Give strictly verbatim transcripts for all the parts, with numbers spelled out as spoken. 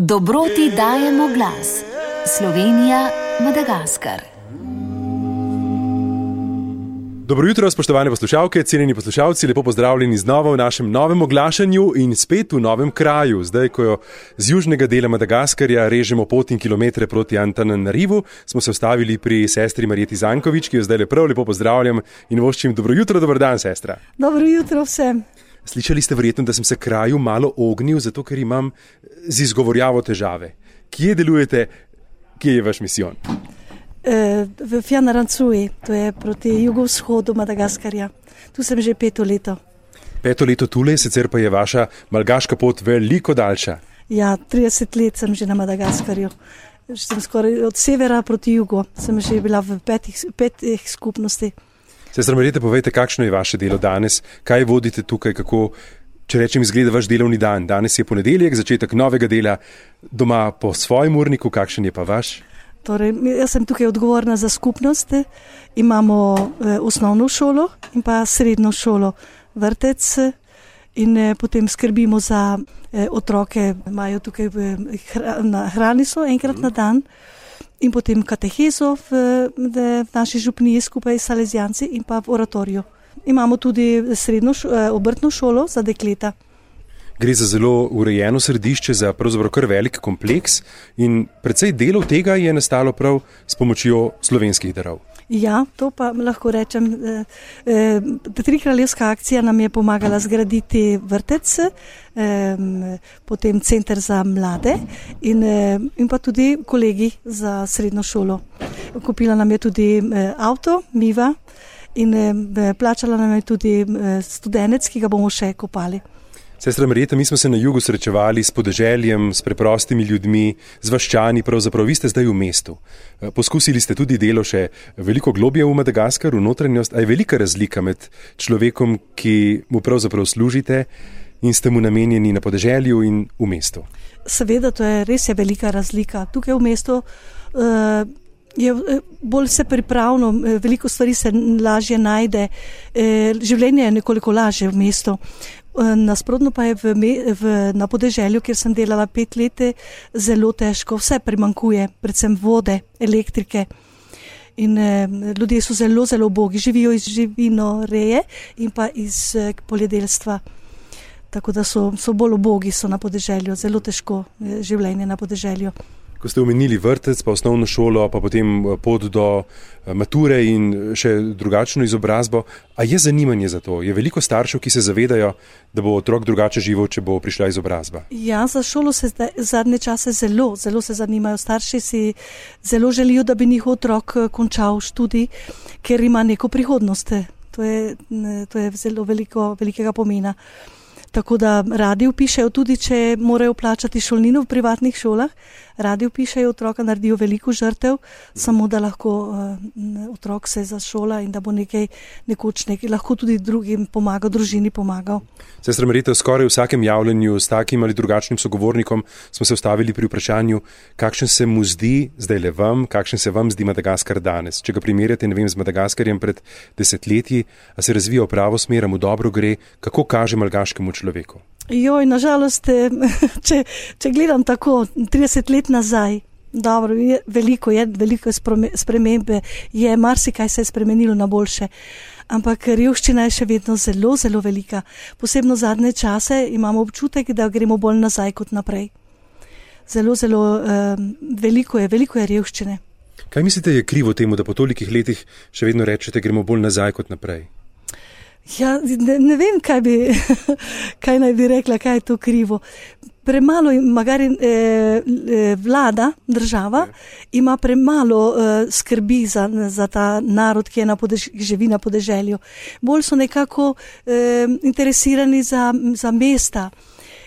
Dobroti dajemo glas. Slovenija, Madagaskar. Dobro jutro, spoštovane poslušalke, cenjeni poslušalci, lepo pozdravljeni znova v našem novem oglašanju in spet v novem kraju. Zdaj, ko jo z južnega dela Madagaskarja režemo pot in kilometre proti Antananarivu, smo se ustavili pri sestri Marjeti Zankovič, ki jo zdaj lepo, lepo pozdravljam in voščim dobro jutro, dober dan, sestra. Dobro jutro vsem. Slišali ste verjetno, da sem se kraju malo ognil, zato ker imam z izgovorjavo težave. Kje delujete, kje je vaš misijon? V Fianarantsoa, to je proti jugovzhodu Madagaskarja. Tu sem že peto leto. Peto leto tule, sicer pa je vaša malgaška pot veliko daljša. Ja, trideset let sem že na Madagaskarju. Sem skoraj od severa proti jugu. Sem že bila v petih, petih skupnosti. Sestra Marjeta, povejte, kakšno je vaše delo danes? Kaj vodite tukaj? Kako, če rečem, izgleda vaš delovni dan? Danes je ponedeljek, začetek novega dela. Doma po svojem urniku, kakšen je pa vaš? Torej, jaz sem tukaj odgovorna za skupnost. Imamo eh, osnovno šolo in pa srednjo šolo, vrtec in eh, potem skrbimo za eh, otroke, imajo tukaj eh, hra, hrani so enkrat na dan in potem katehezo v, v naši župniji skupaj s salezijanci in pa v oratoriju. Imamo tudi srednjo šo, eh, obrtno šolo za dekleta. Gre za zelo urejeno središče, za pravzaprav kar velik kompleks in precej delov tega je nastalo prav s pomočjo slovenskih darov. Ja, to pa lahko rečem. E, e, Trikraljevska akcija nam je pomagala zgraditi vrtec, e, potem center za mlade in, e, in pa tudi kolegi za srednjo šolo. Kupila nam je tudi e, avto, Miva, in e, plačala nam je tudi e, studenec, ki ga bomo še kopali. Sestra Marjeta, mi smo se na jugu srečevali s podeželjem, s preprostimi ljudmi, z vaščani, pravzaprav vi ste zdaj v mestu. Poskusili ste tudi delo še veliko globje v Madagaskaru, notranjost, a je velika razlika med človekom, ki mu pravzaprav služite in ste mu namenjeni na podeželju in v mestu? Seveda, to je res je velika razlika. Tukaj v mestu uh, je bolj se pripravno, veliko stvari se lažje najde, uh, življenje je nekoliko lažje v mestu. Nasprotno pa je v, v, na podeželju, kjer sem delala pet let, zelo težko. Vse primanjkuje, predvsem vode, elektrike. In eh, ljudje so zelo, zelo ubogi. Živijo iz živinoreje in pa iz eh, poljedelstva. Tako da so, so bolj ubogi so na podeželju. Zelo težko eh, življenje na podeželju. Ko ste omenili vrtec, pa osnovno šolo, pa potem pot do mature in še drugačno izobrazbo, a je zanimanje za to? Je veliko staršev, ki se zavedajo, da bo otrok drugače živel, če bo prišla izobrazba? Ja, za šolo se zadnje čase zelo, zelo se zanimajo. Starši si zelo želijo, da bi njihov otrok končal študij, ker ima neko prihodnost. To je, to je zelo veliko, velikega pomena. Tako da radi vpišejo, tudi če morajo plačati šolnino v privatnih šolah, radi vpišejo otroka, naredijo veliko žrtev, samo da lahko uh, otrok se zašola in da bo nekaj nekoč nekaj, lahko tudi drugim pomagal, družini pomagal. Sestra Marjeta, skoraj v vsakem javljanju s takim ali drugačnim sogovornikom smo se ustavili pri vprašanju, kakšen se mu zdi, zdaj le vam, kakšen se vam zdi Madagaskar danes. Če ga primerjate, ne vem, z Madagaskarjem pred desetletji, a se razvija v pravo smer, mu dobro gre, kako kaže malgaškemu človeku? Joj, nažalost, če, če gledam tako trideset let nazaj, dobro, je, veliko je, veliko spremembe, je marsikaj se je spremenilo na boljše, ampak revščina je še vedno zelo, zelo velika. Posebno zadnje čase imamo občutek, da gremo bolj nazaj kot naprej. Zelo, zelo um, veliko je, veliko je revščine. Kaj mislite je krivo temu, da po tolikih letih še vedno rečete, gremo bolj nazaj kot naprej? Ja, ne, ne vem, kaj bi, kaj naj bi rekla, kaj je to krivo. Premalo magari, eh, vlada, država, ima premalo eh, skrbi za, za ta narod, ki je na podež, živi na podeželju. Bolj so nekako eh, interesirani za, za mesta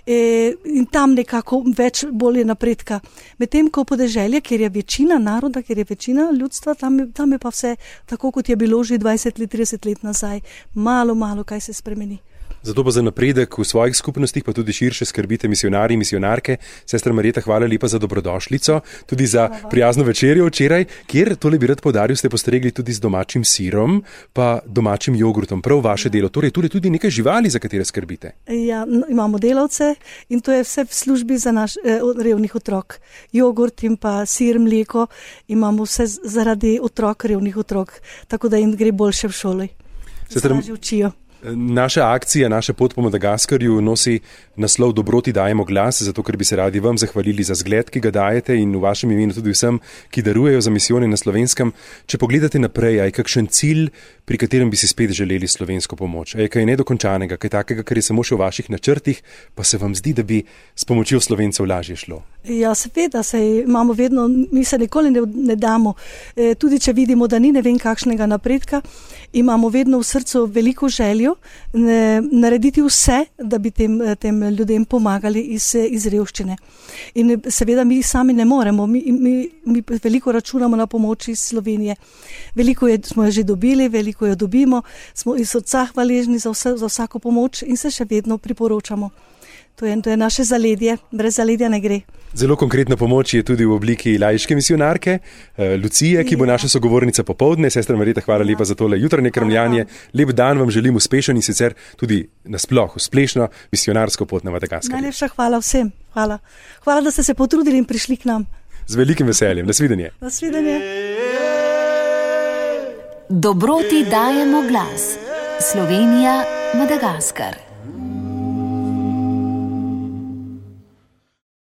eh, in tam nekako več bolj je napredka. Medtem ko podeželje, kjer je večina naroda, kjer je večina ljudstva, tam, tam je pa vse tako, kot je bilo že dvajset let, trideset let nazaj. Malo, malo kaj se spremeni. Zato pa za napredek v svojih skupnostih, pa tudi širše skrbite misionarji in misionarke. Sestra Marjeta, hvala lepa za dobrodošlico, tudi za prijazno večerjo včeraj, kjer, tole bi rad poudaril, ste postregli tudi z domačim sirom, pa domačim jogurtom. Prav vaše delo. Torej, tudi, tudi nekaj živali, za katere skrbite. Ja, imamo delavce in to je vse v službi za naš eh, revnih otrok. Jogurt in pa sir, mleko, imamo vse zaradi otrok, revnih otrok, tako da jim gre boljše v šoli. Sestra, se učijo. Naša akcija, naša pot po Madagaskarju nosi naslov Dobroti dajemo glas, zato ker bi se radi vam zahvalili za zgled, ki ga dajete in v vašem imenu tudi vsem, ki darujejo za misijone na Slovenskem. Če pogledate naprej, je kakšen cilj, pri katerem bi si spet želeli slovensko pomoč? Je kaj nedokončanega, kaj takega, kar je samo še v vaših načrtih, pa se vam zdi, da bi s pomočjo Slovencev lažje šlo? Ja, seveda, se imamo vedno, mi se nikoli ne, ne damo. E, tudi če vidimo, da ni ne vem kakšnega napredka, imamo vedno v srcu veliko željo ne, narediti vse, da bi tem, tem ljudem pomagali iz, iz revščine. In seveda mi sami ne moremo, mi, mi, mi veliko računamo na pomoč iz Slovenije. Veliko je, smo jo že dobili, veliko jo dobimo, smo iz srca hvaležni za, vse, za vsako pomoč in se še vedno priporočamo. To je, to je naše zaledje, brez zaledja ne gre. Zelo konkretna pomoč je tudi v obliki laiške misionarke, Lucije, ki bo naša sogovornica popoldne. Sestra Marjeta, hvala lepa za tole jutranje krmljanje. Lep dan vam želim uspešen in sicer tudi nasploh uspešno misionarsko pot na Madagaskar. Najlepša hvala vsem. Hvala. Hvala, da ste se potrudili in prišli k nam. Z velikim veseljem. Nasvidenje. Nasvidenje. Dobroti dajemo glas. Slovenija, Madagaskar.